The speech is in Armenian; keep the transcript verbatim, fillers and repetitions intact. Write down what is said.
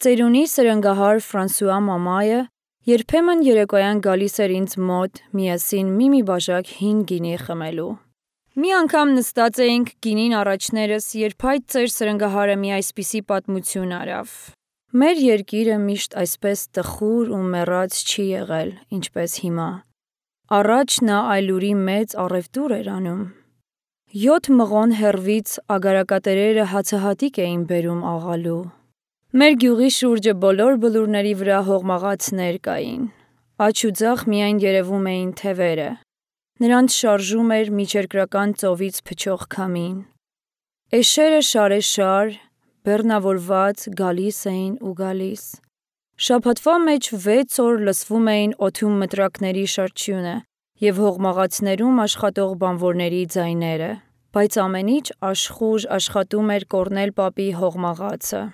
Ծերունի սրընգահար Ֆրանսուଆ մամայը երբեմն երեկոյան գալիս էր ինձ մոտ միասին մի-մի բաժակ հին գինի խմելու։ Մի անգամ նստած էինք գինին առաջներս, երբ այդ ծեր սրընգահարը մի այսպիսի պատմություն արավ. «Մեր երկիրը միշտ այսպես տխուր ու մեռած չի եղել, ինչպես հիմա։ Առաջ նա այլուրի մեծ առևտուր էր անում։ Յոթ մղոն հեռվից ագարակատերերը հացահատիկ էին բերում աղալու։ Մեր գյուղի շուրջը բոլոր բլուրների վրա հողմաղացներ կային։ Աջ ու ձախ միայն երևում էին թևերը։ Նրանց շարժում էր միջերկրական ծովից փչող քամին։ Էշերը շարեշար, բեռնավորված գալիս էին ու գալիս։ Շաբաթվա մեջ վեց օր լսվում էին օդում մտրակների շրչյունը և հողմաղացներում աշխատող բանվորների ձայները, բայց ամեն ինչ աշխույժ աշխատում էր կոռնել պապի հողմաղացը։